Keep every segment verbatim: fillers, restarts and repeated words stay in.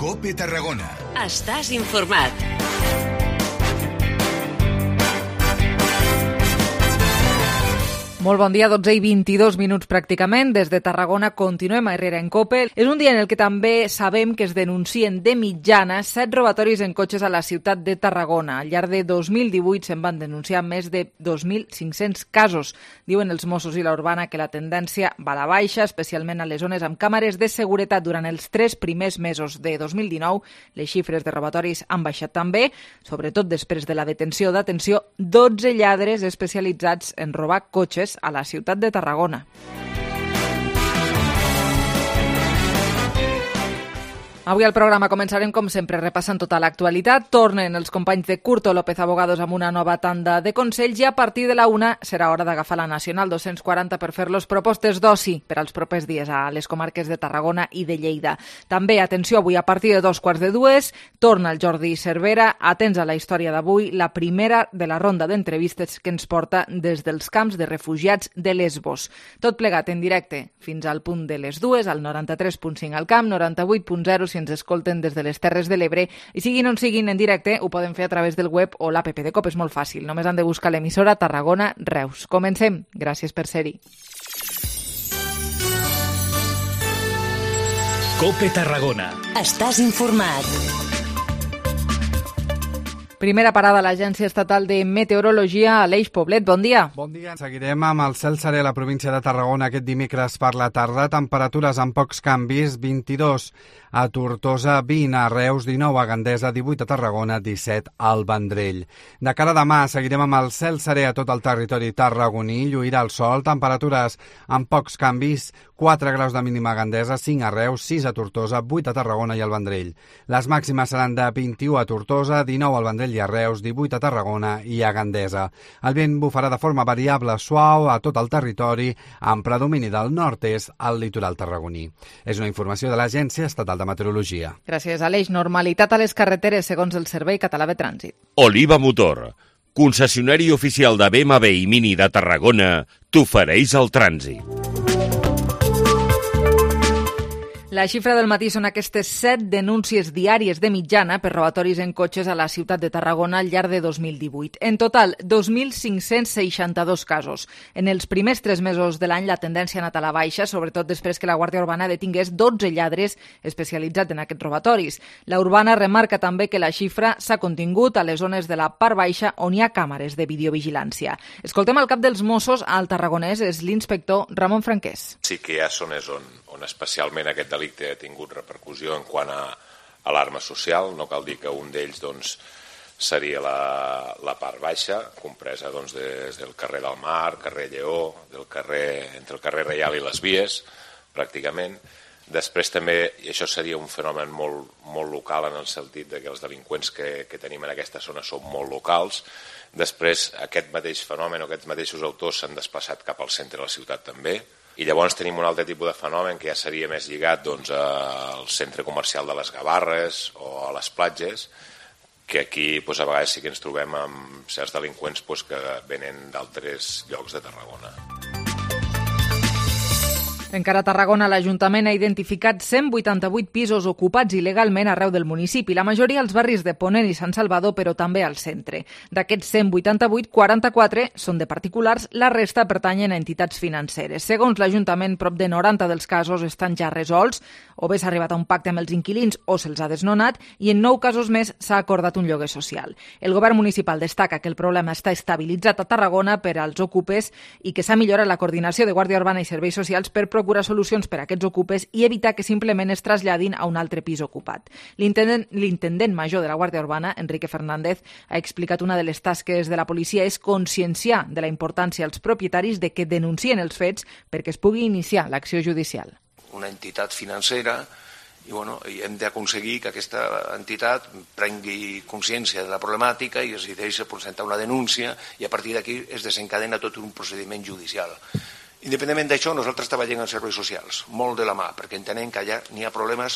COPE Tarragona. Estàs informat. Molt bon dia, dotze i vint-i-dos minuts pràcticament. Des de Tarragona continuem a Herrera en COPE. És un dia en el que també sabem que es denuncien de mitjana set robatoris en cotxes a la ciutat de Tarragona. Al llarg de dos mil divuit se'n van denunciar més de dos mil cinc-cents casos. Diuen els Mossos i la Urbana que la tendència va a la baixa, especialment a les zones amb càmeres de seguretat. Durant els tres primers mesos de dos mil dinou, les xifres de robatoris han baixat també, sobretot després de la detenció d'atenció dotze lladres especialitzats en robar cotxes a la ciutat de Tarragona. Avui al programa començarem, com sempre, repassant tota l'actualitat. Tornen els companys de Curto López Abogados amb una nova tanda de consells i a partir de la una serà hora d'agafar la Nacional dos-cents quaranta per fer-los propostes d'oci per als propers dies a les comarques de Tarragona i de Lleida. També, atenció, avui a partir de dos quarts de dues torna el Jordi Cervera. Atents a la història d'avui, la primera de la ronda d'entrevistes que ens porta des dels camps de refugiats de Lesbos. Tot plegat en directe fins al punt de les dues, al noranta-tres punt cinc al camp, noranta-vuit punt zero si ens escolten des de les Terres de l'Ebre, i siguin on siguin en directe, ho poden fer a través del web o l'app de COPE, és molt fàcil. Només han de buscar l'emissora Tarragona Reus. Comencem. Gràcies per ser-hi. COPE Tarragona. Estàs informat. Primera parada a l'Agència Estatal de Meteorologia, Aleix Poblet. Bon dia. Bon dia. Seguirem amb el cel serè a la província de Tarragona aquest dimecres per la tarda. Temperatures amb pocs canvis, vint-i-dos a Tortosa, vint a Reus, dinou a Gandesa, divuit a Tarragona, disset al Vendrell. De cara a demà seguirem amb el cel serè a tot el territori tarragoní, lluirà el sol, temperatures amb pocs canvis, quatre graus de mínima a Gandesa, cinc a Reus, sis a Tortosa, vuit a Tarragona i al Vendrell. Les màximes seran de vint-i-u a Tortosa, dinou al Vendrell i a Reus, divuit a Tarragona i a Gandesa. El vent bufarà de forma variable suau a tot el territori, amb predomini del nord-est al litoral tarragoní. És una informació de l'Agència Estatal de Meteorologia. Gràcies, Aleix. Normalitat a les carreteres, segons el Servei Català de Trànsit. Oliva Motor, concessionari oficial de B M W i Mini de Tarragona, t'ofereix el trànsit. La xifra del matí són aquestes set denúncies diàries de mitjana per robatoris en cotxes a la ciutat de Tarragona al llarg de dos mil divuit. En total, dos mil cinc-cents seixanta-dos casos. En els primers tres mesos de l'any la tendència ha anat a la baixa, sobretot després que la Guàrdia Urbana detingués dotze lladres especialitzats en aquests robatoris. La Urbana remarca també que la xifra s'ha contingut a les zones de la part baixa on hi ha càmeres de videovigilància. Escoltem el cap dels Mossos al Tarragonès, és l'inspector Ramon Franquès. Sí que hi ha zones on, on especialment aquest delicte ha tingut repercussió en quant a alarma social. No cal dir que un d'ells doncs, seria la, la part baixa, compresa doncs, des del carrer del Mar, carrer Lleó, del carrer, entre el carrer Reial i les Vies, pràcticament. Després també, i això seria un fenomen molt, molt local en el sentit de que els delinqüents que, que tenim en aquesta zona són molt locals. Després aquest mateix fenomen o aquests mateixos autors s'han desplaçat cap al centre de la ciutat també. I llavors tenim un altre tipus de fenomen que ja seria més lligat doncs, al centre comercial de les Gavarres o a les platges, que aquí doncs, a vegades sí que ens trobem amb certs delinqüents doncs, que venen d'altres llocs de Tarragona. Encara a Tarragona, l'Ajuntament ha identificat cent vuitanta-vuit pisos ocupats il·legalment arreu del municipi, la majoria als barris de Ponent i Sant Salvador, però també al centre. D'aquests cent vuitanta-vuit, quaranta-quatre són de particulars, la resta pertanyen a entitats financeres. Segons l'Ajuntament, prop de noranta dels casos estan ja resolts, o bé s'ha arribat a un pacte amb els inquilins o se'ls ha desnonat, i en nou casos més s'ha acordat un lloguer social. El govern municipal destaca que el problema està estabilitzat a Tarragona per als ocupes i que s'ha millorat la coordinació de Guàrdia Urbana i Serveis Socials per procurar solucions per a aquests ocupes i evitar que simplement es traslladin a un altre pis ocupat. L'intendent, l'intendent major de la Guàrdia Urbana, Enrique Fernández, ha explicat una de les tasques de la policia és conscienciar de la importància als propietaris de que denuncien els fets perquè es pugui iniciar l'acció judicial. Una entitat financera i, bueno, i hem d'aconseguir que aquesta entitat prengui consciència de la problemàtica i es decideixi presentar una denúncia i a partir d'aquí es desencadena tot un procediment judicial. Independentment d'això, nosaltres treballem en serveis socials, molt de la mà, perquè entenem que allà n'hi ha problemes,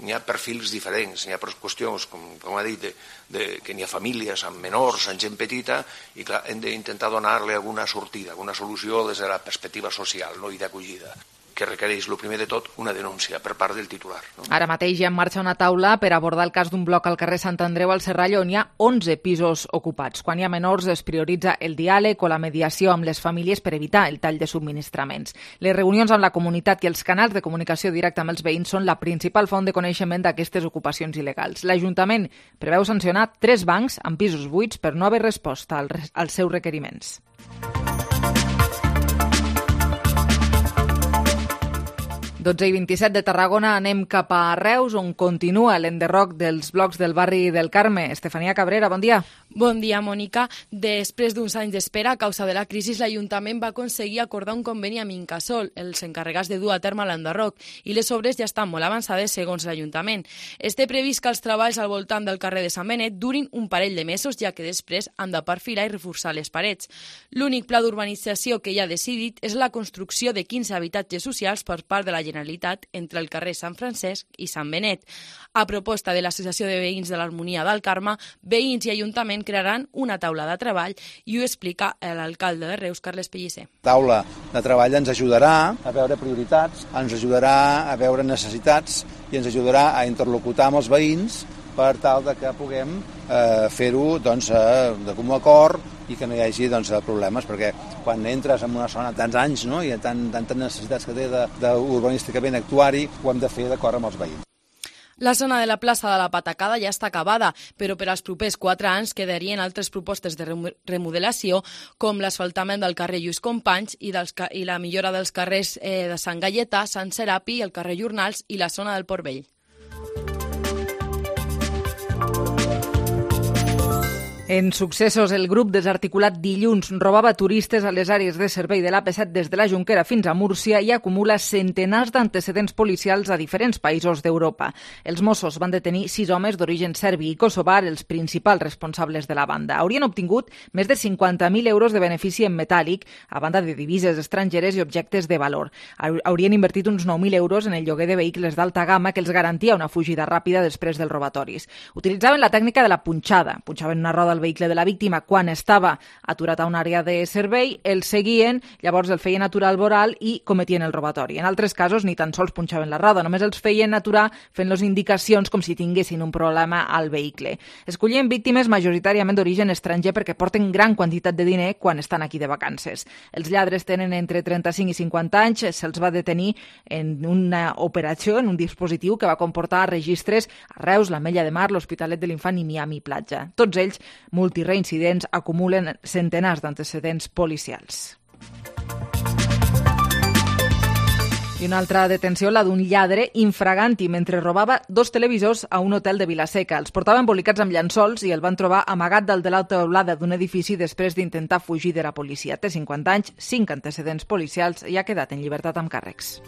n'hi ha perfils diferents, n'hi ha qüestions, com, com ha dit, de, de, que n'hi ha famílies amb menors, amb gent petita, i clar, hem d'intentar donar-li alguna sortida, alguna solució des de la perspectiva social, no, i d'acollida. que requereix, el primer de tot, una denúncia per part del titular. No? Ara mateix hi ha en marxa una taula per abordar el cas d'un bloc al carrer Sant Andreu al Serrallo on hi ha onze pisos ocupats. Quan hi ha menors es prioritza el diàleg o la mediació amb les famílies per evitar el tall de subministraments. Les reunions amb la comunitat i els canals de comunicació directa amb els veïns són la principal font de coneixement d'aquestes ocupacions il·legals. L'Ajuntament preveu sancionar tres bancs amb pisos buits per no haver resposta als seus requeriments. dotze i vint-i-set de Tarragona, anem cap a Reus, on continua l'enderroc dels blocs del barri del Carme. Estefania Cabrera, bon dia. Bon dia, Mònica. Després d'uns anys d'espera, a causa de la crisi, l'Ajuntament va aconseguir acordar un conveni amb Incasòl, els encarregats de dur a terme l'enderroc, i les obres ja estan molt avançades segons l'Ajuntament. Es té previst que els treballs al voltant del carrer de Sant Benet durin un parell de mesos, ja que després han de perfilar i reforçar les parets. L'únic pla d'urbanització que ja ha decidit és la construcció de quinze habitatges socials per part de la Generalitat entre el carrer Sant Francesc i Sant Benet. A proposta de l'Associació de Veïns de l'Harmonia del Carme, veïns i Ajuntament crearan una taula de treball i ho explica l'alcalde de Reus, Carles Pellicer. La taula de treball ens ajudarà a veure prioritats, ens ajudarà a veure necessitats i ens ajudarà a interlocutar amb els veïns per tal de que puguem eh, fer-ho doncs, eh, de comú acord i que no hi hagi doncs, problemes, perquè quan entres en una zona tants anys, no, i tant, tantes necessitats que té d'urbanísticament actuar-hi, ho hem de fer d'acord amb els veïns. La zona de la plaça de la Patacada ja està acabada, però per als propers quatre anys quedarien altres propostes de remodelació, com l'asfaltament del carrer Lluís Companys i, dels, i la millora dels carrers eh, de Sant Gaietà, Sant Serapi, el carrer Jornals i la zona del Port Vell. En successos, el grup desarticulat dilluns robava turistes a les àrees de servei de l'A P set des de la Jonquera fins a Múrcia i acumula centenars d'antecedents policials a diferents països d'Europa. Els Mossos van detenir sis homes d'origen serbi i kosovar, els principals responsables de la banda. Haurien obtingut més de cinquanta mil euros de benefici en metàl·lic, a banda de divises estrangeres i objectes de valor. Haurien invertit uns nou mil euros en el lloguer de vehicles d'alta gamma que els garantia una fugida ràpida després dels robatoris. Utilitzaven la tècnica de la punxada. Punxaven una roda al vehicle de la víctima quan estava aturat a una àrea de servei, el seguien, llavors el feien aturar al voral i cometien el robatori. En altres casos ni tan sols punxaven la roda, només els feien aturar fent-los indicacions com si tinguessin un problema al vehicle. Escollien víctimes majoritàriament d'origen estranger perquè porten gran quantitat de diner quan estan aquí de vacances. Els lladres tenen entre trenta-cinc i cinquanta anys, se'ls va detenir en una operació, en un dispositiu que va comportar registres a Reus, l'Ametlla de Mar, l'Hospitalet de l'Infant i Miami Platja. Tots ells multireincidents, acumulen centenars d'antecedents policials. I una altra detenció, la d'un lladre infraganti mentre robava dos televisors a un hotel de Vilaseca. Els portava embolicats amb llençols i el van trobar amagat dalt de la teulada d'un edifici després d'intentar fugir de la policia. Té cinquanta anys, cinc antecedents policials i ha quedat en llibertat amb càrrecs.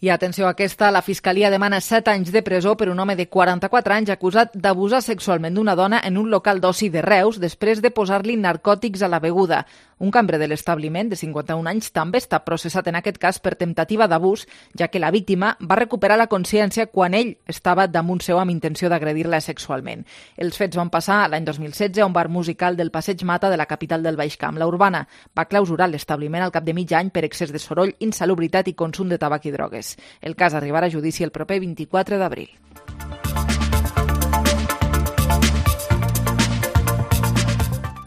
I atenció a aquesta, la Fiscalia demana set anys de presó per un home de quaranta-quatre anys acusat d'abusar sexualment d'una dona en un local d'oci de Reus després de posar-li narcòtics a la beguda. Un cambrer de l'establiment, de cinquanta-un anys, també està processat en aquest cas per temptativa d'abús, ja que la víctima va recuperar la consciència quan ell estava damunt seu amb intenció d'agredir-la sexualment. Els fets van passar l'any dos mil setze a un bar musical del Passeig Mata de la capital del Baix Camp. La Urbana va clausurar l'establiment al cap de mig any per excés de soroll, insalubritat i consum de tabac i drogues. El cas arribarà a judici el proper vint-i-quatre d'abril.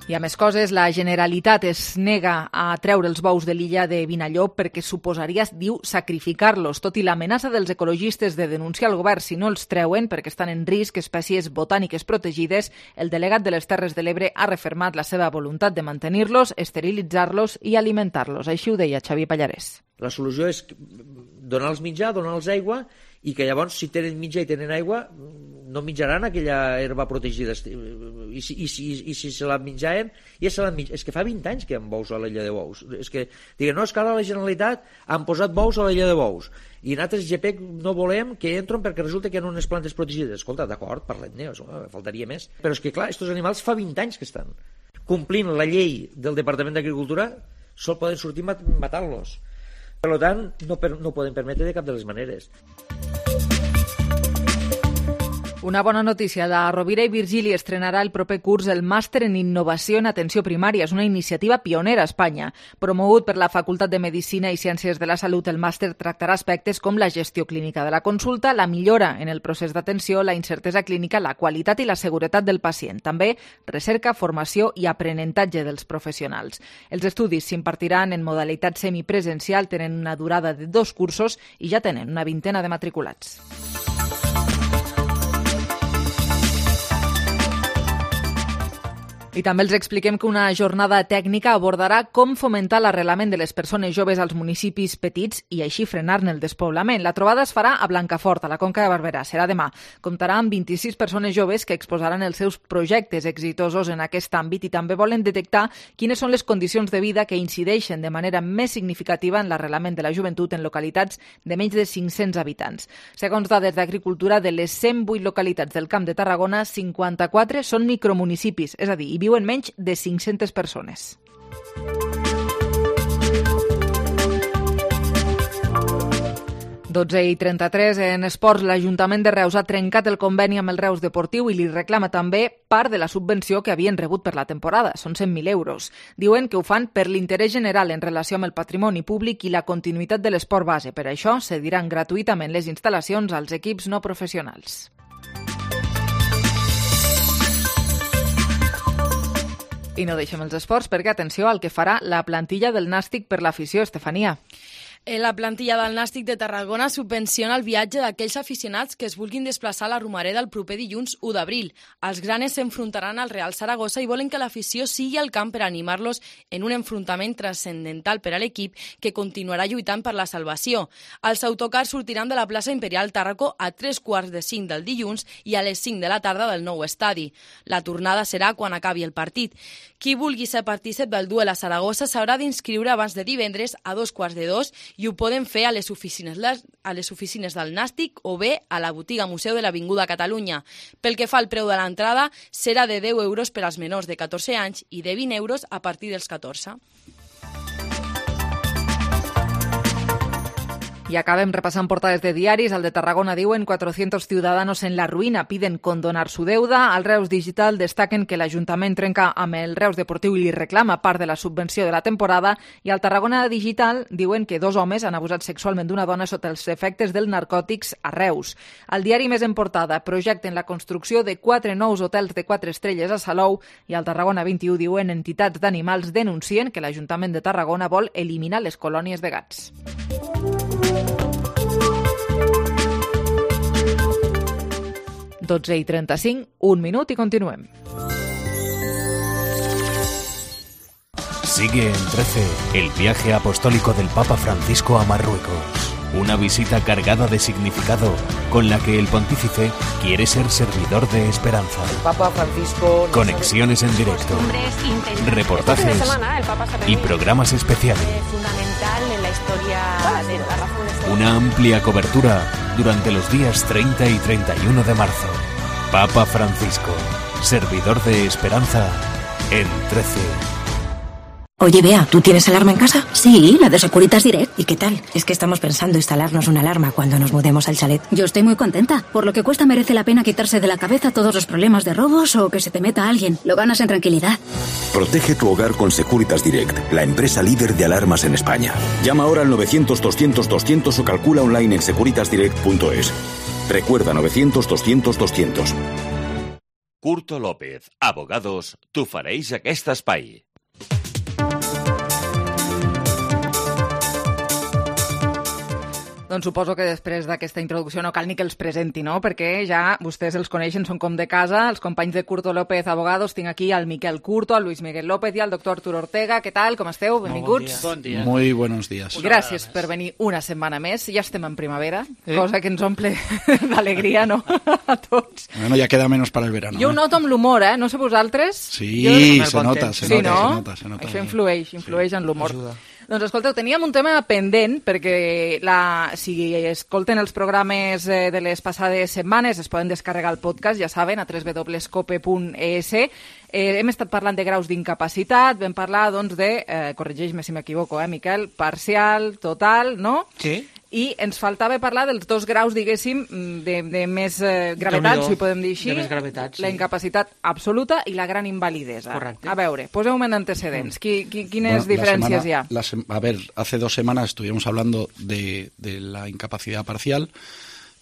I a més coses, la Generalitat es nega a treure els bous de l'illa de Vinallop perquè suposaria, diu, sacrificar-los. Tot i l'amenaça dels ecologistes de denunciar el govern si no els treuen perquè estan en risc espècies botàniques protegides, el delegat de les Terres de l'Ebre ha refermat la seva voluntat de mantenir-los, esterilitzar-los i alimentar-los. Així ho deia Xavi Pallarès. La solució és donar-los menjar, donar-los aigua i que llavors, si tenen menjar i tenen aigua, no menjaran aquella herba protegida. I si, i si, i si se la menjaven, ja se la menjaven. És que fa vint anys que hi ha bous a l'illa de Bous. És que, diguen, no, és que ara la Generalitat han posat bous a l'illa de Bous. I nosaltres, G P E C, no volem que entren perquè resulta que hi ha unes plantes protegides. Escolta, d'acord, parlem-ne, faltaria més. Però és que, clar, aquests animals fa vint anys que estan. Complint la llei del Departament d'Agricultura, sol poden sortir matant-los. Per tant, no, per, no ho podem permetre de cap de les maneres. Una bona notícia. La Rovira i Virgili estrenarà el proper curs el Màster en Innovació en Atenció Primària. És una iniciativa pionera a Espanya. Promogut per la Facultat de Medicina i Ciències de la Salut, el màster tractarà aspectes com la gestió clínica de la consulta, la millora en el procés d'atenció, la incertesa clínica, la qualitat i la seguretat del pacient. També recerca, formació i aprenentatge dels professionals. Els estudis s'impartiran en modalitat semipresencial, tenen una durada de dos cursos i ja tenen una vintena de matriculats. I també els expliquem que una jornada tècnica abordarà com fomentar l'arrelament de les persones joves als municipis petits i així frenar-ne el despoblament. La trobada es farà a Blancafort, a la Conca de Barberà. Serà demà. Comptarà amb vint-i-sis persones joves que exposaran els seus projectes exitosos en aquest àmbit i també volen detectar quines són les condicions de vida que incideixen de manera més significativa en l'arrelament de la joventut en localitats de menys de cinc-cents habitants. Segons dades d'Agricultura, de les cent vuit localitats del Camp de Tarragona, cinquanta-quatre són micromunicipis, és a dir, hi viuen menys de cinc-centes persones. dotze i trenta-tres. En esports, l'Ajuntament de Reus ha trencat el conveni amb el Reus Deportiu i li reclama també part de la subvenció que havien rebut per la temporada. Són cent mil euros. Diuen que ho fan per l'interès general en relació amb el patrimoni públic i la continuïtat de l'esport base. Per això, cediran gratuïtament les instal·lacions als equips no professionals. I no deixem els esports perquè, atenció al que farà la plantilla del Nàstic per l'afició, Estefania. La plantilla del Nàstic de Tarragona subvenciona el viatge d'aquells aficionats que es vulguin desplaçar a la Romareda el proper dilluns u d'abril. Els granes s'enfrontaran al Real Saragossa i volen que l'afició sigui al camp per animar-los en un enfrontament transcendental per a l'equip que continuarà lluitant per la salvació. Els autocars sortiran de la plaça Imperial Tàrraco a tres quarts de cinc del dilluns i a les cinc de la tarda del nou estadi. La tornada serà quan acabi el partit. Qui vulgui ser partícip del duel a Saragossa s'haurà d'inscriure abans de divendres a dos quarts de dos i ho poden fer a les oficines, a les oficines del Nàstic o bé a la botiga Museu de l'Avinguda Catalunya. Pel que fa al preu de l'entrada, serà de deu euros per als menors de catorze anys i de vint euros a partir dels catorze. Y acabem repassant portades de diaris. Al de Tarragona diuen cuatrocientos ciudadanos en la ruïna piden condonar su deuda. Al Reus Digital destaquen que l'Ajuntament trenca amb el Reus Deportiu i li reclama part de la subvenció de la temporada. I al Tarragona Digital diuen que dos homes han abusat sexualment d'una dona sota els efectes dels narcòtics a Reus. Al diari Més en portada projecten la construcció de quatre nous hotels de quatre estrelles a Salou i al Tarragona vint-i-u diuen entitats d'animals denuncien que l'Ajuntament de Tarragona vol eliminar les colònies de gats. dotze i trenta-cinc, un minut y continuem. Sigue en trece el viaje apostólico del Papa Francisco a Marruecos. Una visita cargada de significado con la que el pontífice quiere ser servidor de esperanza. El Papa Francisco... Conexiones en directo, reportajes y programas especiales. Fundamental en la historia de la razón. Una amplia cobertura durante los días treinta y treinta y uno de marzo. Papa Francisco, servidor de esperanza en trece. Oye, Bea, ¿tú tienes alarma en casa? Sí, la de Securitas Direct. ¿Y qué tal? Es que estamos pensando instalarnos una alarma cuando nos mudemos al chalet. Yo estoy muy contenta. Por lo que cuesta merece la pena quitarse de la cabeza todos los problemas de robos o que se te meta alguien. Lo ganas en tranquilidad. Protege tu hogar con Securitas Direct, la empresa líder de alarmas en España. Llama ahora al novecientos doscientos doscientos o calcula online en securitas direct punto es. Recuerda novecientos doscientos doscientos. Curto López, abogados, t'ofereix aquest espai. Doncs suposo que després d'aquesta introducció no cal ni que els presenti, no? Perquè ja vostès els coneixen, són com de casa, els companys de Curto López Abogados. Tinc aquí al Miquel Curto, al Luis Miguel López i al doctor Arturo Ortega. Què tal? Com esteu? Benvinguts. Bon dia. Muy buenos días. Gràcies per venir una setmana més. Ja estem en primavera, eh? Cosa que ens omple d'alegria, no? A tots. Bueno, ya queda menos para el verano. Jo ho noto amb l'humor, eh? No sé vosaltres. Sí, jo... se nota, se sí, nota, no? se nota, se nota. Això influeix, influeix sí, en l'humor. Ajuda. Doncs escolteu, teníem un tema pendent perquè la, si escolten els programes eh, de les passades setmanes es poden descarregar el podcast, ja saben, a w w w punt cope punt e s. Eh, hem estat parlant de graus d'incapacitat, vam parlar doncs de, eh, corregeix-me si m'equivoco, eh, Miquel, parcial, total, no? Sí. I ens faltava parlar dels dos graus, diguéssim, de, de més eh, gravetat, si podem dir així. De més gravetat, sí. La incapacitat absoluta i la gran invalidesa. Correcte. A veure, poseu-me en antecedents. Qui, qui, quines Bueno, diferències semana, hi ha? La sem- a ver, hace dos semanas estuvimos hablando de, de la incapacidad parcial.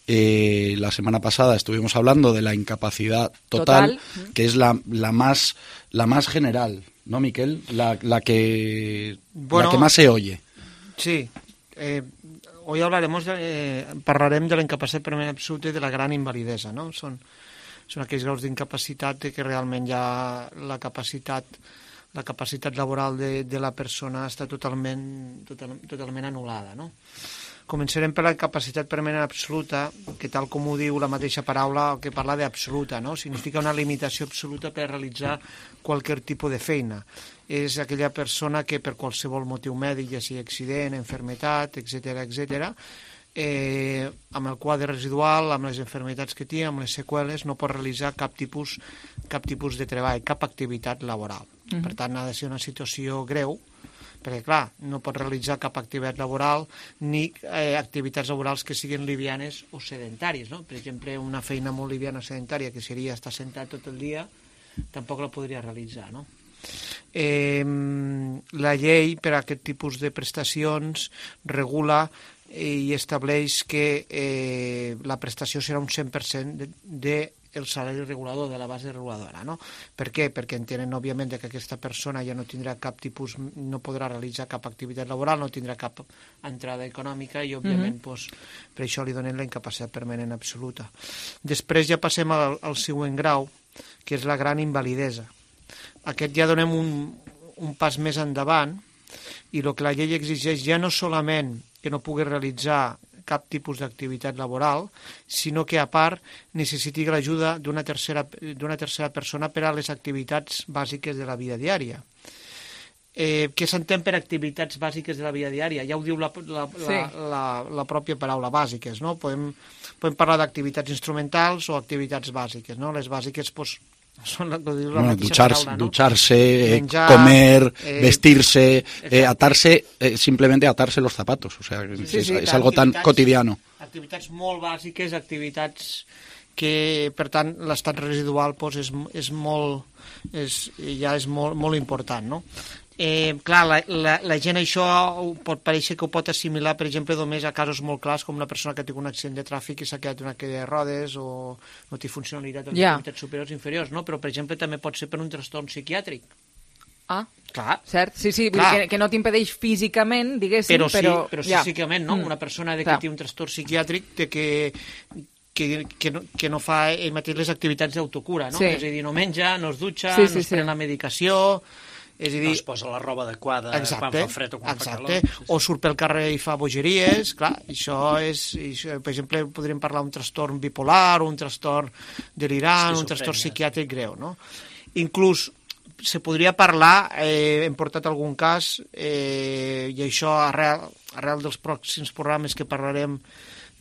Eh, la semana pasada estuvimos hablando de la incapacidad total, total. que es la, la, más, la más general, ¿no, Miquel? La, la, que, bueno, la que más se oye. Sí. Eh, hoy hablaremos, de, eh, parlarem de la incapacitat permanent absoluta i de la gran invalidesa, no? Són, són aquells graus d'incapacitat que realment ja la capacitat, la capacitat laboral de, de la persona està totalment, total, totalment anul·lada, no? Començarem per la capacitat permanent absoluta, que tal com ho diu la mateixa paraula, que parla d'absoluta, no? Significa una limitació absoluta per realitzar qualsevol tipus de feina. És aquella persona que per qualsevol motiu mèdic, ja sigui accident, enfermetat, etcètera, etcètera, eh, amb el quadre residual, amb les enfermetats que té, amb les seqüeles, no pot realitzar cap tipus, cap tipus de treball, cap activitat laboral. Mm-hmm. Per tant, ha de ser una situació greu, perquè, clar, no pot realitzar cap activitat laboral ni eh, activitats laborals que siguin livianes o sedentàries, no? Per exemple, una feina molt liviana o sedentària, que seria estar sentat tot el dia, tampoc la podria realitzar, no? Eh, la llei per a aquest tipus de prestacions regula i estableix que eh, la prestació serà un cent per cent de, de el salari regulador, de la base reguladora, no? Per què? Perquè entenen, òbviament, que aquesta persona ja no tindrà cap tipus, no podrà realitzar cap activitat laboral, no tindrà cap entrada econòmica i, òbviament, mm-hmm. doncs, per això li donen la incapacitat permanent absoluta. Després ja passem al, al següent grau, que és la gran invalidesa. Aquest ja donem un, un pas més endavant i el que la llei exigeix ja no solament que no pugui realitzar cap tipus d'activitat laboral, sinó que a part necessiti l'ajuda d'una tercera, d'una tercera persona per a les activitats bàsiques de la vida diària. Eh, què s'entén per activitats bàsiques de la vida diària? Ja ho diu la, la, sí. la, la, la pròpia paraula bàsiques, no? Podem, podem parlar d'activitats instrumentals o activitats bàsiques, no? Les bàsiques, doncs, són la, la bueno, ducharse, paraula, no? ducharse Menjar, comer, eh, vestirse, eh, atarse, eh, simplemente atarse los zapatos. O sea, sí, es, sí, es algo tan cotidiano. Activitats molt bàsiques, activitats que, per tant, l'estat residual doncs, és, és molt, és, ja és molt, molt important, no? Eh, clar, la, la, la gent això pot pareixer que ho pot assimilar, per exemple, només a casos molt clars, com una persona que té un accident de tràfic i s'ha quedat una cadira de rodes o no té funcionalitat en yeah. activitats superiors o inferiors, no? Però, per exemple, també pot ser per un trastorn psiquiàtric. Ah, clar. Cert, sí, sí, vull dir que, que no t'impedeix físicament, diguéssim, però... Sí, però, però ja. psíquicament, no? Mm. Una persona de que té un trastorn psiquiàtric té que... Que, que, no, que no fa ell mateix les activitats d'autocura, no? Sí. És a dir, no menja, no es dutxa, sí, sí, no es pren sí. la medicació... És a dir, no es posa la roba adequada exacte, quan fa fred o quan exacte. fa calor. Sí, sí. O surt pel carrer i fa bogeries, clar, això és, això, per exemple, podríem parlar d'un trastorn bipolar, un trastorn delirant, un trastorn psiquiàtric greu, no? Inclús se podria parlar, eh, hem portat algun cas, eh, i això arrel, arrel dels pròxims programes que parlarem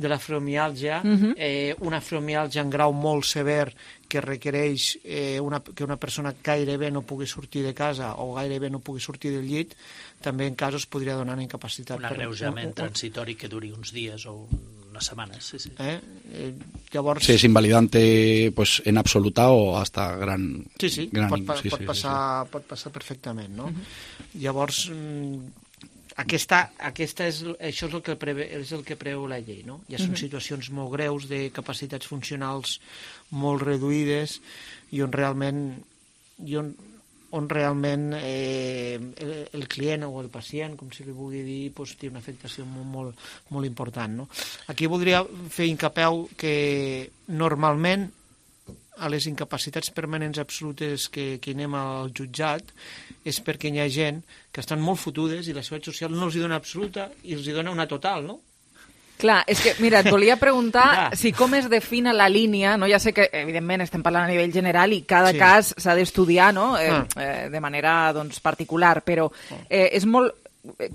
de la fibromiàlgia, uh-huh. eh, una fibromiàlgia en grau molt sever que requereix eh, una, que una persona gairebé no pugui sortir de casa o gairebé no pugui sortir del llit, també en casos podria donar una incapacitat. Un agreujament transitori que duri uns dies o unes setmanes, sí, sí. Eh? Eh, llavors... Sí, es invalidante pues, en absoluta o hasta gran... Sí, sí, gran, pot, pa, sí, pot, sí, passar, sí, sí. pot passar perfectament, no? Uh-huh. Llavors... Aquesta, aquesta és, això és el, que preve, és el que preveu la llei, no? Ja són uh-huh. situacions molt greus de capacitats funcionals molt reduïdes i on realment, i on, on realment eh, el, el client o el pacient, com si li vulgui dir, doncs, té una afectació molt, molt, molt important, no? Aquí voldria fer incapeu que normalment a les incapacitats permanents absolutes que, que anem al jutjat és perquè hi ha gent que estan molt fotudes i la seguretat social no els hi dona absoluta i els hi dona una total, no? Clar, és que, mira, et volia preguntar ja. si com es defina la línia, no? Ja sé que, evidentment, estem parlant a nivell general i cada sí. cas s'ha d'estudiar, no? Eh, ah. eh, de manera, doncs, particular, però eh, és molt...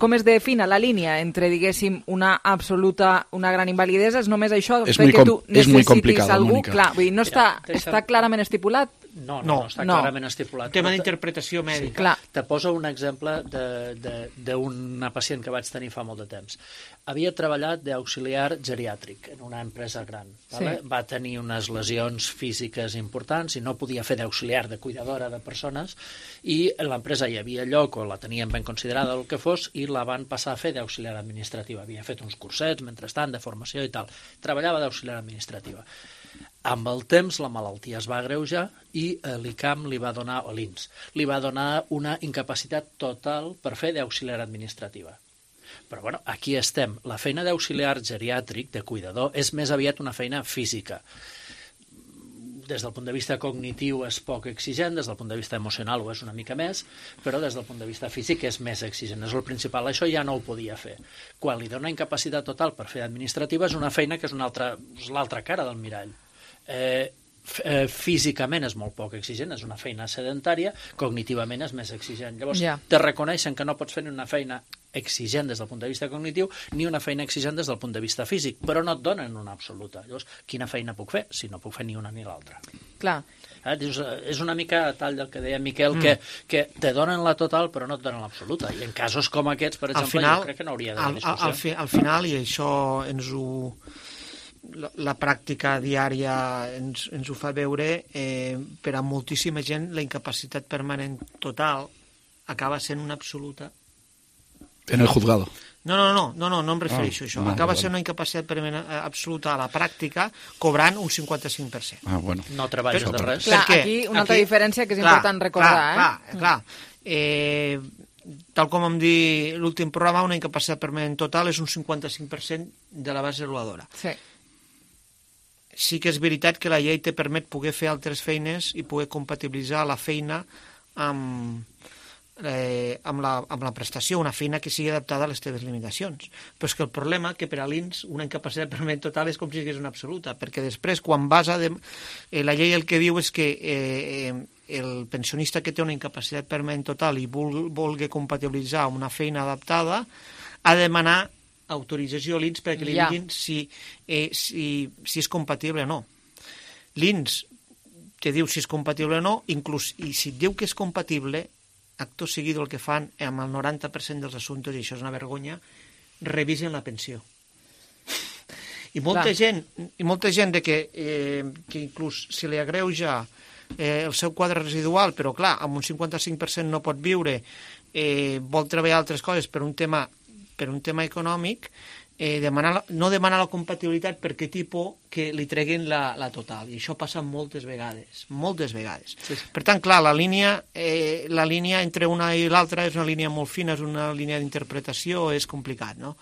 Com es defina la línia entre, diguéssim, una absoluta, una gran invalidesa? És només això? És, muy, com, tu és muy complicado, algú? Mónica. Clar, vull dir, no està, està clarament estipulat? No, no, No, no està no. clarament estipulat. Un tema Però te- d'interpretació mèdica. Sí, clar. Te poso un exemple d'una pacient que vaig tenir fa molt de temps. Havia treballat d'auxiliar geriàtric en una empresa gran. Vale? Sí. Va tenir unes lesions físiques importants i no podia fer d'auxiliar, de cuidadora de persones, i en l'empresa hi havia lloc, o la tenien ben considerada el que fos, i la van passar a fer d'auxiliar administrativa. Havia fet uns cursets, mentrestant, de formació i tal. Treballava d'auxiliar administrativa. Amb el temps la malaltia es va agreujar i l'I C A M li va donar, o l'I N S, li va donar una incapacitat total per fer d'auxiliar administrativa. Però bueno, aquí estem. La feina d'auxiliar geriàtric, de cuidador, és més aviat una feina física. Des del punt de vista cognitiu és poc exigent, des del punt de vista emocional ho és una mica més, però des del punt de vista físic és més exigent. És el principal. Això ja no ho podia fer. Quan li dona incapacitat total per fer administrativa és una feina que és, una altra, és l'altra cara del mirall. Eh, eh, físicament és molt poc exigent, és una feina sedentària, cognitivament és més exigent. Llavors, Ja. te reconeixen que no pots fer ni una feina exigent des del punt de vista cognitiu ni una feina exigent des del punt de vista físic, però no et donen una absoluta. Llavors, quina feina puc fer si no puc fer ni una ni l'altra? Clar. Eh, dius, eh, és una mica tal del que deia Miquel, Mm. que, que te donen la total però no et donen l'absoluta. I en casos com aquests, per Al exemple, final, jo crec que no hauria al, d'haver al, discussió. al, fi, al final, i això ens ho... La, la pràctica diària ens, ens ho fa veure, eh, per a moltíssima gent la incapacitat permanent total acaba sent una absoluta. En el juzgado. No, no, no, no, no, no em refereixo Ah, a això. vale, Acaba vale. sent una incapacitat permanent eh, absoluta a la pràctica, cobrant un cinquanta-cinc per cent. Ah, bueno. No treballes Per- de res. Clar, Per què? aquí una altra Aquí- diferència que és clar, important recordar. clar, eh? Clar, clar. Eh, tal com vam dir l'últim programa, una incapacitat permanent total és un cinquanta-cinc per cent de la base reguladora. Sí. Sí que és veritat que la llei te permet poder fer altres feines i poder compatibilitzar la feina amb, eh, amb, la, amb la prestació, una feina que sigui adaptada a les teves limitacions. Però és que el problema que per a l'I N S una incapacitat permanent total és com si sigués una absoluta, perquè després quan vas a... De, eh, la llei el que diu és que eh, el pensionista que té una incapacitat permanent total i vul, vulgui compatibilitzar amb una feina adaptada ha de demanar autorització a l'I N S perquè li Ja. diguin si, eh, si, si és compatible o no. L'I N S te diu si és compatible o no, inclús, i si et diu que és compatible, acto seguido el que fan amb el noranta per cent dels assumptes, i això és una vergonya, revisen la pensió. I molta Clar. gent, i molta gent de que, eh, que inclús si li agreuja eh, el seu quadre residual, però clar, amb un cinquanta-cinc per cent no pot viure, eh, vol treballar altres coses per un tema per un tema econòmic, eh, demanar, no demanar la compatibilitat perquè tipus que li treguin la, la total. I això passa moltes vegades, moltes vegades. Sí. Per tant, clar, la línia, eh, la línia entre una i l'altra és una línia molt fina, és una línia d'interpretació, és complicat, no?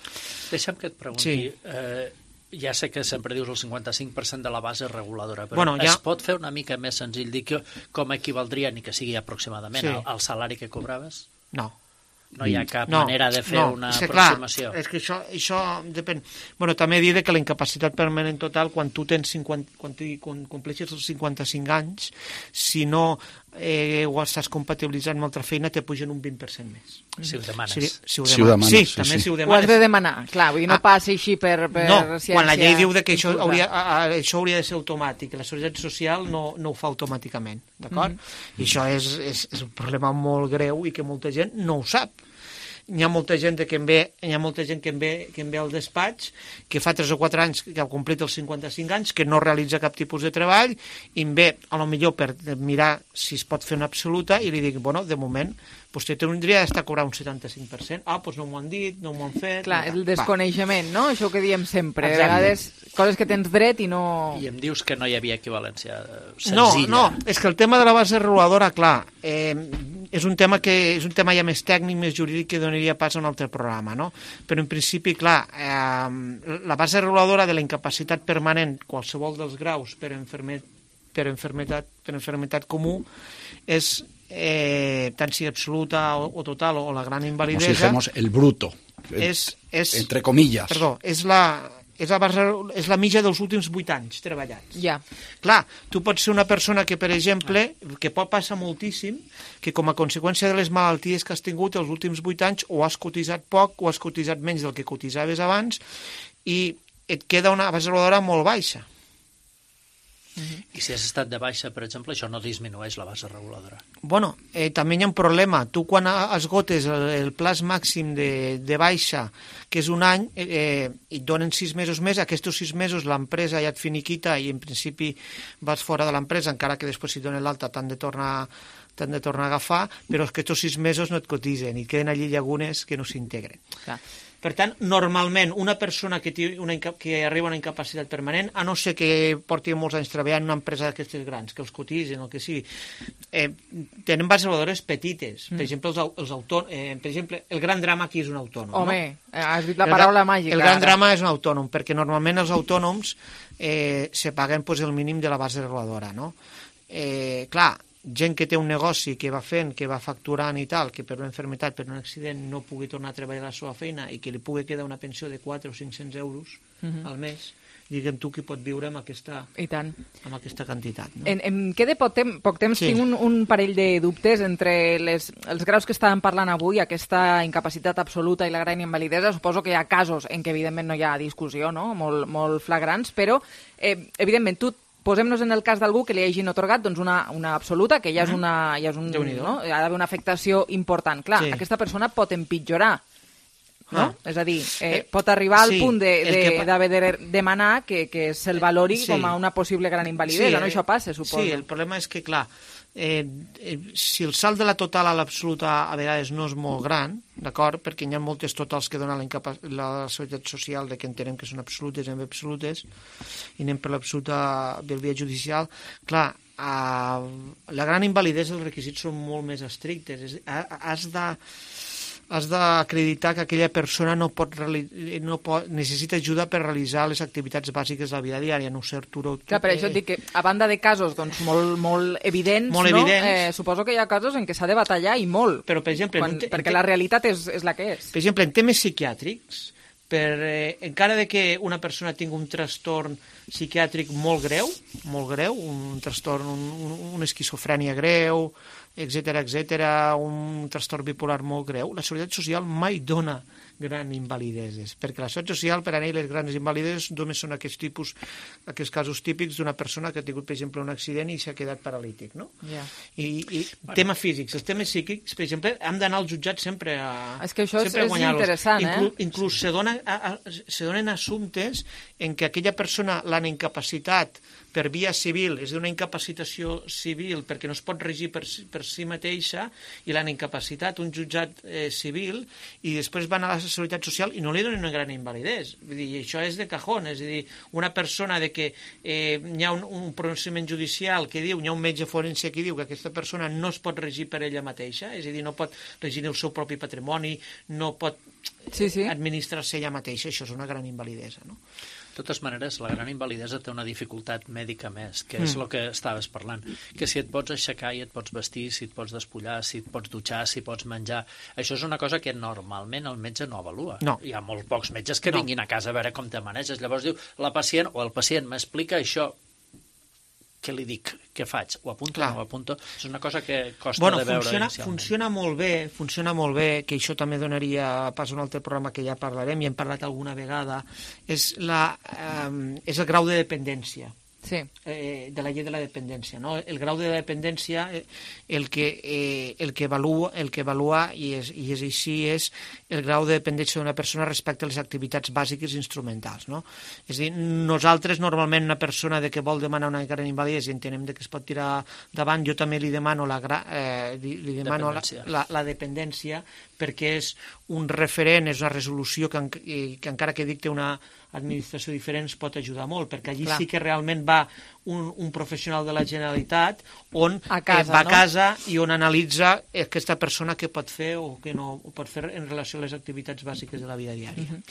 Deixa'm que et pregunti... Sí. Eh, ja sé que sempre dius el cinquanta-cinc per cent de la base reguladora, però Bueno, ja- es pot fer una mica més senzill dir que, com equivaldria, ni que sigui aproximadament, Sí. al, al salari que cobraves? No. No hi ha cap No, manera de fer no, una és que, clar, aproximació. és que això, això depèn. Bueno, també dir que la incapacitat permanent total, quan tu tens cinquanta, quan, tu, quan compleixes els cinquanta-cinc anys, si no eh, ho estàs compatibilitzant amb altra feina, te pugen un vint per cent més. Si ho demanes. Si, si ho Si ho demanes. demanes, Sí, sí, també sí. si ho Ho has demanes. de demanar, clar, vull dir, no Ah. passi així per, per No, ciència. quan la llei diu de que això infusa. hauria, a, a, això hauria de ser automàtic, la Seguretat Social no, no ho fa automàticament, d'acord? Mhm. I això és, és, és un problema molt greu i que molta gent no ho sap. Hi ha molta gent que em ve, hi ha molta gent que em ve, que em ve al despatx, que fa tres o quatre anys que ha complit els cinquanta-cinc anys, que no realitza cap tipus de treball, i em ve, a lo millor, per mirar si es pot fer una absoluta, i li dic, bueno, de moment, vostè tindria d'estar a cobrar un setanta-cinc per cent. Ah, doncs no m'ho han dit, no m'ho han fet... Clar, el Va. desconeixement, no? Això que diem sempre. Exacte. A vegades, coses que tens dret i no... I em dius que no hi havia equivalència eh, No, senzilla. no, és que el tema de la base reguladora, clar, eh, és un tema que és un tema ja més tècnic, més jurídic, que donaria pas a un altre programa, no? Però en principi, clar, eh, la base reguladora de la incapacitat permanent, qualsevol dels graus per, enferme, per, enfermetat, per enfermetat comú, és eh, tant si absoluta o, o total o la gran Como si invalidesa, dijéramos el bruto. és, és, Entre comillas. perdó, és la, és la, base, és la mitja dels últims vuit anys treballats. Ja. Clar, tu pots ser una persona que, per exemple, que pot passar moltíssim, que com a conseqüència de les malalties que has tingut els últims vuit anys o has cotitzat poc o has cotitzat menys del que cotitzaves abans i et queda una base reguladora molt baixa. Uh-huh. I si has estat de baixa, per exemple, això no disminueix la base reguladora. Bueno, eh, també hi ha un problema. Tu quan esgotes el, el plaç màxim de, de baixa, que és un any, eh, i et donen sis mesos més, aquests sis mesos l'empresa ja et finiquita i en principi vas fora de l'empresa, encara que després si donen l'alta t'han de tornar t'han de tornar a agafar, però aquests sis mesos no et cotitzen i queden allí llagunes que no s'integren. Clar. Per tant, normalment, una persona que, té una, que arriba a una incapacitat permanent, a no ser que porti molts anys treballant en una empresa d'aquestes grans, que els cotitzen o que sigui, eh, tenen bases reguladores petites. Mm. Per exemple, els, els autònoms, eh, per exemple, el gran drama aquí és un autònom. Home, no? has dit la paraula el, màgica. El gran ara. drama és un autònom, perquè normalment els autònoms eh, se paguen pues, el mínim de la base reguladora. No? Eh, clar, gent que té un negoci que va fent, que va facturant i tal, que per una malaltia, per un accident no pugui tornar a treballar a la seva feina i que li pugui quedar una pensió de quatre o cinc-cents euros uh-huh. al mes, diguem tu qui pot viure amb aquesta, I tant. amb aquesta quantitat. No? En, em queda poc, tem poc temps, Sí. tinc un, un parell de dubtes entre les, els graus que estàvem parlant avui, aquesta incapacitat absoluta i la gran invalidesa. Suposo que hi ha casos en què evidentment no hi ha discussió, no? molt, molt flagrants, però eh, evidentment tu posem-nos en el cas d'algú que li hagin otorgat doncs, una, una absoluta, que ja és, una, ja és un, no? Hi ha d'haver una afectació important. Clar, sí. Aquesta persona pot empitjorar, no? Ah. És a dir, eh, pot arribar al sí, punt d'haver de, de, que... de demanar que, que se'l valori sí. com a una possible gran invalidesa, sí, no? Això passa, suposo. Sí, el problema és que, clar, eh, eh, si el salt de la total a l'absoluta a vegades no és molt gran, d'acord, perquè hi ha moltes totals que donen la, la seguretat social de que entenem que són absolutes i absolutes, i anem per l'absoluta del via judicial, clar, a la gran invalidesa els requisits són molt més estrictes. És, has de has d'acreditar que aquella persona no pot, no pot necessita ajuda per realitzar les activitats bàsiques de la vida diària, no ser Arturo. Clar, per això et dic que, a banda de casos doncs, molt, molt evidents, molt no? evidents. Eh, suposo que hi ha casos en què s'ha de batallar i molt, però, per exemple, quan, te, perquè te, la realitat és, és la que és. Per exemple, en temes psiquiàtrics, per, eh, encara de que una persona tingui un trastorn psiquiàtric molt greu, molt greu, un trastorn, un, un, una esquizofrènia greu, etcètera, etcètera, un trastorn bipolar molt greu, la Seguretat Social mai dona grans invalideses, perquè la Seguretat Social, per a ell, les grans invalideses només són aquests tipus, aquests casos típics d'una persona que ha tingut, per exemple, un accident i s'ha quedat paralític, no? Yeah. I, i bueno. Temes físics, els temes psíquics, per exemple, hem d'anar al jutjat sempre a És que això és, és interessant, Inclu, eh? Inclús se, dona, a, a, se donen assumptes en què aquella persona l'han incapacitat per via civil, és d'una incapacitació civil perquè no es pot regir per, per si mateixa i l'han incapacitat un jutjat eh, civil i després van a la Seguretat Social i no li donen una gran invalidesa. Vull dir, això és de cajón, és a dir, una persona de que eh, hi ha un, un procediment judicial que diu, hi ha un metge forense que diu que aquesta persona no es pot regir per ella mateixa, és a dir, no pot regir el seu propi patrimoni, no pot sí, sí. administrar-se ella mateixa, això és una gran invalidesa, no? De totes maneres, la gran invalidesa té una dificultat mèdica més, que és el mm. que estaves parlant, que si et pots aixecar i et pots vestir, si et pots despullar, si et pots dutxar, si pots menjar, això és una cosa que normalment el metge no avalua. No. Hi ha molt pocs metges que no. vinguin a casa a veure com te maneges. Llavors diu, la pacient o el pacient m'explica això, què li dic, què faig? Ho apunto o no ho apunto? És una cosa que costa bueno, de veure funciona, inicialment. Funciona molt bé, funciona molt bé, que això també donaria pas a un altre programa que ja parlarem, i hem parlat alguna vegada, és, la, eh, és el grau de dependència. Sí. Eh, de la llei de la dependència, no? El grau de dependència, eh, el que, eh, el que avalua, el que avalua i, és, i és així, és el grau de dependència d'una persona respecte a les activitats bàsiques i instrumentals, no? És a dir, nosaltres normalment una persona de que vol demanar una gran invalidesa i entenem de que es pot tirar davant, jo també li demano la, eh, li, li demano dependència. La, la, la dependència perquè és un referent, és una resolució que, que encara que dicte una administració diferent pot ajudar molt, perquè allí Clar. Sí que realment va un, un professional de la Generalitat on a casa, eh, va a no? casa i on analitza aquesta persona què pot fer o què no pot fer en relació a les activitats bàsiques de la vida diària. Uh -huh.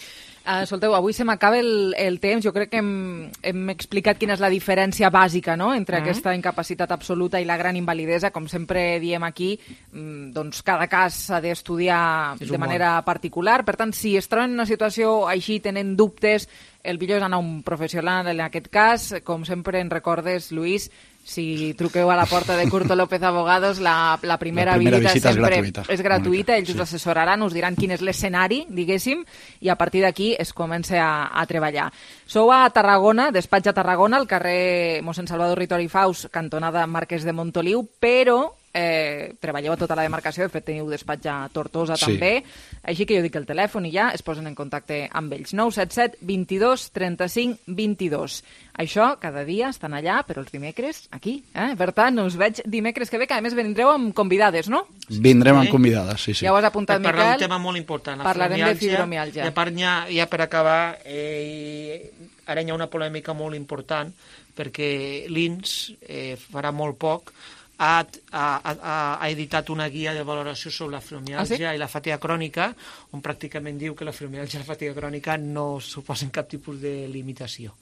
Uh, escolteu, avui se m'acaba el, el temps. Jo crec que hem, hem explicat quina és la diferència bàsica, no?, entre uh -huh. aquesta incapacitat absoluta i la gran invalidesa. Com sempre diem aquí, doncs cada cas s'ha d'estudiar de manera particular. Per tant, si es troben en una situació així, tenen dubtes, el millor és anar a un professional en aquest cas. Com sempre ens recordes, Lluís, Si truqueu a la porta de Curto López Abogados, la, la primera, la primera visita, visita sempre és gratuïta. és gratuïta, ells sí. us assessoraran, us diran quin és l'escenari, diguéssim, i a partir d'aquí es comença a, a treballar. Sou a Tarragona, despatx a Tarragona, al carrer mossèn Salvador Ritori Faus, cantonada Marquès de Montoliu, però eh, treballeu a tota la demarcació, de fet teniu despatx a Tortosa Sí. també, així que jo dic el telèfon i ja es posen en contacte amb ells. nou set set, vint-i-dos, trenta-cinc, vint-i-dos. Això, cada dia estan allà, però els dimecres, aquí. Eh? Per tant, us veig dimecres que ve, que a més vendreu amb convidades, no? Vindrem amb convidades, sí, sí. Ja ho has apuntat, per parlar Miquel. d'un tema molt important, la Parlarem de fibromiàlgia. fibromiàlgia. I a part, ja, ja per acabar, eh, ara hi ha una polèmica molt important, perquè l'I N S eh, farà molt poc ha, ha, ha, ha editat una guia de valoració sobre la fibromiàlgia ah, sí? i la fatiga crònica, on pràcticament diu que la fibromiàlgia i la fatiga crònica no suposen cap tipus de limitació.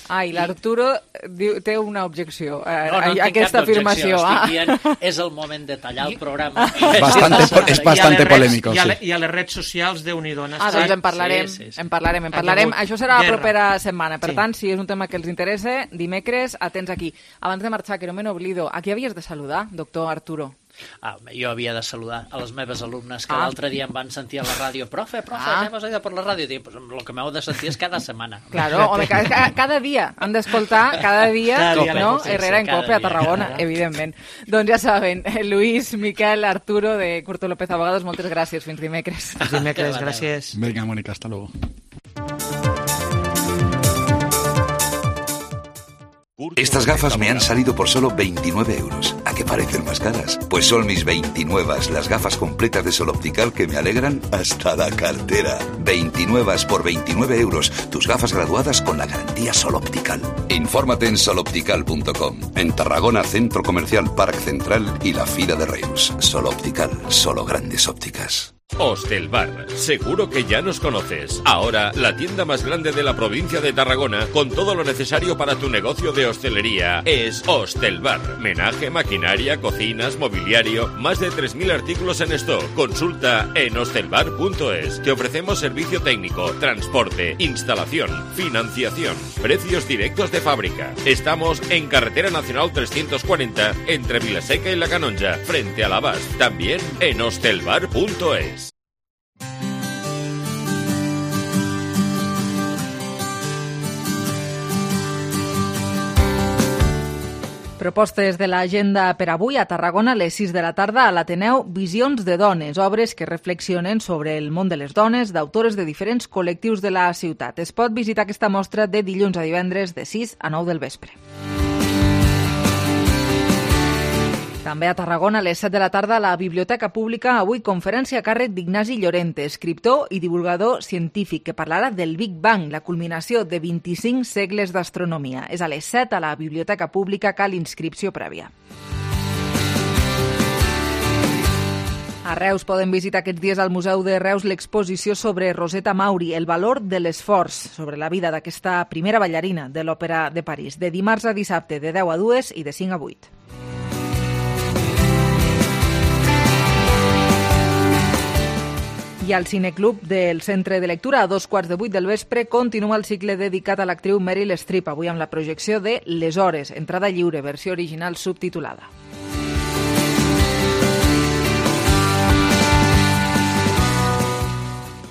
Ah, i l'Arturo diu, té una objecció a, No, no a aquesta afirmació. Ah. Ah. Dient, és el moment de tallar el programa. Bastante, és bastante polèmico, I a, sí. I a les redes socials, Déu-n'hi-do. Ah, doncs en parlarem, sí, sí, sí. en parlarem, en parlarem. Això serà la guerra. propera setmana. Per Sí. tant, si és un tema que els interessa, dimecres, atents aquí. Abans de marxar, que no me n'oblido, a qui havies de saludar, doctor Arturo? Ah, jo havia de saludar a les meves alumnes que Ah. l'altre dia em van sentir a la ràdio. Profe, profe, Ah. anem a seguir per la ràdio. Dic, pues, el que m'heu de sentir és cada setmana. Claro, home, cada, cada dia han d'escoltar, cada dia, Cada dia, no? sí, sí, Herrera en cada Cope a dia, Tarragona, cada dia. evidentment. Doncs ja saben, Luis, Miquel, Arturo, de Curto López Abogados, moltes gràcies. Fins dimecres. Fins dimecres, gràcies. Venga, Mónica, hasta luego. Estas gafas me han salido por solo veintinueve euros. ¿A qué parecen más caras? Pues son mis veintinueve, las gafas completas de Sol Optical que me alegran hasta la cartera. veintinueve por veintinueve euros. Tus gafas graduadas con la garantía Sol Optical. Infórmate en sol optical punto com. En Tarragona, Centro Comercial Parc Central y la Fira de Reus. Sol Optical, solo grandes ópticas. Hostelbar, seguro que ya nos conoces. Ahora, la tienda más grande de la provincia de Tarragona, con todo lo necesario para tu negocio de hostelería, es Hostelbar. Menaje, maquinaria, cocinas, mobiliario, más de tres mil artículos en stock. Consulta en hostelbar punto es. Te ofrecemos servicio técnico, transporte, instalación, financiación, precios directos de fábrica. Estamos en Carretera Nacional trescientos cuarenta, entre Vilaseca y La Canonja, frente a la Bas. También en hostelbar punto es. Propostes de l'agenda per avui a Tarragona a les sis de la tarda a l'Ateneu Visions de Dones, obres que reflexionen sobre el món de les dones d'autores de diferents col·lectius de la ciutat. Es pot visitar aquesta mostra de dilluns a divendres de sis a nou del vespre. També a Tarragona, a les set de la tarda, a la Biblioteca Pública, avui conferència a càrrec d'Ignasi Llorente, escriptor i divulgador científic, que parlarà del Big Bang, la culminació de vint-i-cinc segles d'astronomia. És a les set a la Biblioteca Pública, cal inscripció prèvia. A Reus poden visitar aquests dies al Museu de Reus l'exposició sobre Rosetta Mauri, el valor de l'esforç, sobre la vida d'aquesta primera ballarina de l'Òpera de París, de dimarts a dissabte, de deu a dues i de cinc a vuit. I al Cineclub del Centre de Lectura, a dos quarts de vuit del vespre, continua el cicle dedicat a l'actriu Meryl Streep, avui amb la projecció de Les Hores, entrada lliure, versió original subtitulada.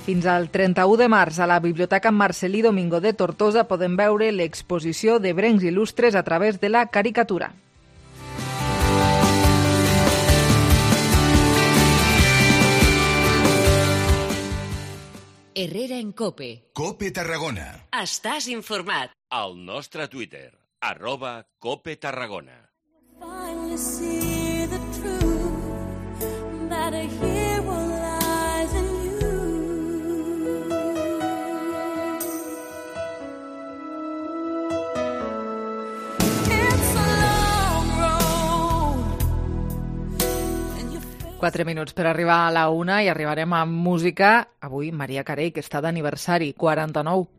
Fins al trenta-u de març, a la Biblioteca Marcelí Domingo de Tortosa podem veure l'exposició d'ebrencs il·lustres a través de la caricatura. Herrera en Cope. Cope Tarragona. Estàs informat. Al nostre Twitter, arroba Cope Tarragona. Finally see the truth that a hero lies in you. It's a long road. Quatre minuts per arribar a la una i arribarem amb música. Avui Maria Carey, que està d'aniversari, quaranta-nou.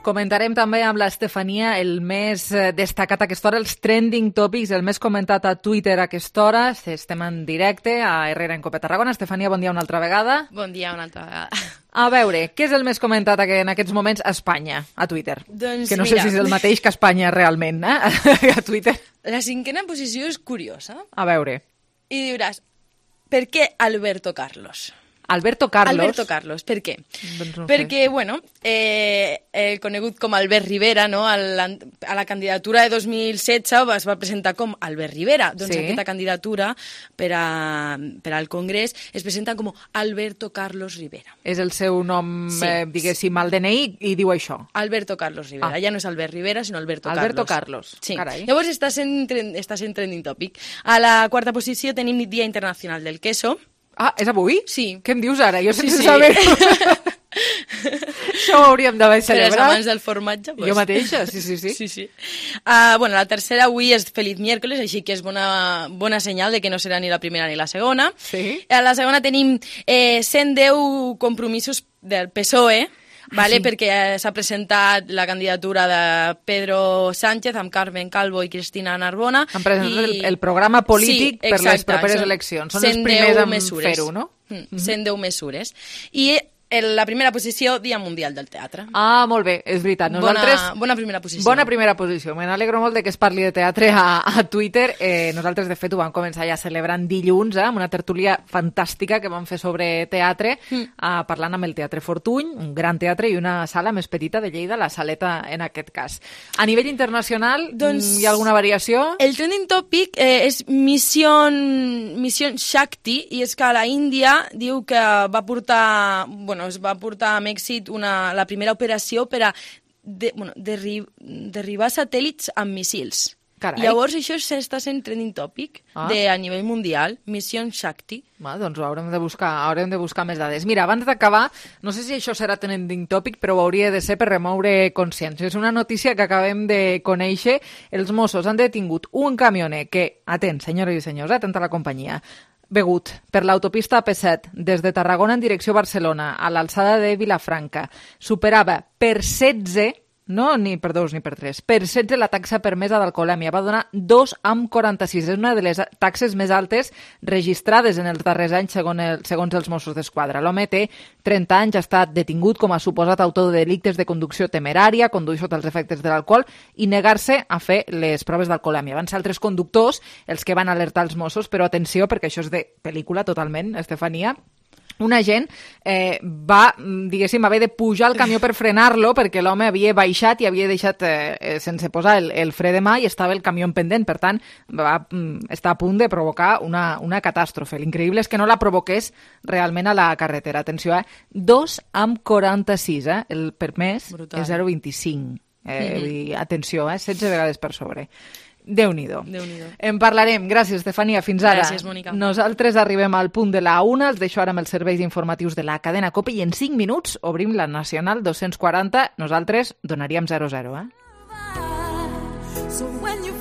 Comentarem també amb l'Estefania el més destacat a aquesta hora, els trending topics, el més comentat a Twitter a aquesta hora. Estem en directe a Herrera en Cope Tarragona. Estefania, bon dia una altra vegada. Bon dia una altra vegada. A veure, què és el més comentat en aquests moments a Espanya, a Twitter? Doncs que no mira... sé si és el mateix que a Espanya realment, eh? A Twitter. La cinquena posició és curiosa. A veure. I diuràs, per què Alberto Carlos? Alberto Carlos. Alberto Carlos, per què? Doncs no Perquè, sé. bueno, eh, el conegut com Albert Rivera, no? a, la, a la candidatura de dos mil setze es va presentar com Albert Rivera. Doncs Sí. aquesta candidatura per, a, per al Congrés es presenta com Alberto Carlos Rivera. És el seu nom, Sí. eh, diguéssim, al D N I i diu això. Alberto Carlos Rivera. Ah. Ja no és Albert Rivera, sinó Alberto, Alberto Carlos. Carlos. Sí. Carai. Llavors està sent, tren- està sent trending topic. A la quarta posició tenim Dia Internacional del Queso. Ah, és avui? Sí. Què em dius ara? Jo Sí, sense sí. saber-ho. Això ho hauríem d'haver Per als celebrat. amants del formatge. Pues. Jo mateixa, sí, sí, sí. sí, sí. Uh, bueno, la tercera avui és Feliz Miércoles, així que és bona, bona senyal de que no serà ni la primera ni la segona. Sí. A la segona tenim eh, cent deu compromisos del P S O E, vale? sí. perquè eh, s'ha presentat la candidatura de Pedro Sánchez amb Carmen Calvo i Cristina Narbona. Han presentat i... el, el programa polític Sí, per les exacte, properes són eleccions. Són els cent primers deu en mesures. fer-ho, no? Mm, cent deu mesures. I el, la primera posició, Dia Mundial del Teatre. Ah, molt bé, és veritat. Nosaltres... Bona, bona primera posició. Bona primera posició. Me n'alegro molt de que es parli de teatre a, a Twitter. Eh, nosaltres, de fet, ho vam començar ja celebrant dilluns, eh, amb una tertúlia fantàstica que vam fer sobre teatre, mm. eh, parlant amb el Teatre Fortuny, un gran teatre i una sala més petita de Lleida, la Saleta en aquest cas. A nivell internacional, doncs, hi ha alguna variació? El trending topic eh, és Mission, Mission Shakti, i és que la Índia diu que va portar... Bueno, es va portar amb èxit una, la primera operació per a de, bueno, derri, derribar satèl·lits amb missils. Carai. Llavors això s'està sent trending topic Ah. de, a nivell mundial, Mission Shakti. Ah, doncs ho haurem de buscar, haurem de buscar més dades. Mira, abans d'acabar, no sé si això serà trending topic, però ho hauria de ser per remoure consciència. És una notícia que acabem de conèixer. Els Mossos han detingut un camioner que, atent, senyores i senyors, atenta a la companyia, begut per l'autopista A P set des de Tarragona en direcció a Barcelona a l'alçada de Vilafranca superava per setze, no ni per dos ni per tres, per setze la taxa permesa d'alcoholèmia. Va donar dos coma quaranta-sis. És una de les taxes més altes registrades en els darrers anys segons, el, segons els Mossos d'Esquadra. L'home té trenta anys, ha estat detingut com a suposat autor de delictes de conducció temerària, conduir sota els efectes de l'alcohol i negar-se a fer les proves d'alcoholèmia. Van ser altres conductors els que van alertar els Mossos, però atenció, perquè això és de pel·lícula totalment, Estefania. Un agent eh, va, diguéssim, haver de pujar al camió per frenar-lo perquè l'home havia baixat i havia deixat eh, sense posar el, el fre de mà i estava el camió en pendent. Per tant, va mm, estar a punt de provocar una, una catàstrofe. L'increïble és que no la provoqués realment a la carretera. Atenció, eh? dos coma quaranta-sis, eh? El permès Brutal. és zero coma vint-i-cinc. Eh, Mhm. vull dir, atenció, eh? setze vegades per sobre. Déu-n'hi-do. Déu-n'hi-do. En parlarem. Gràcies, Estefania. Fins ara. Gràcies, Mònica. Nosaltres arribem al punt de la una. Els deixo ara amb els serveis informatius de la cadena COPE i en cinc minuts obrim la Nacional dos-cents quaranta. Nosaltres donaríem zero zero, eh? So when you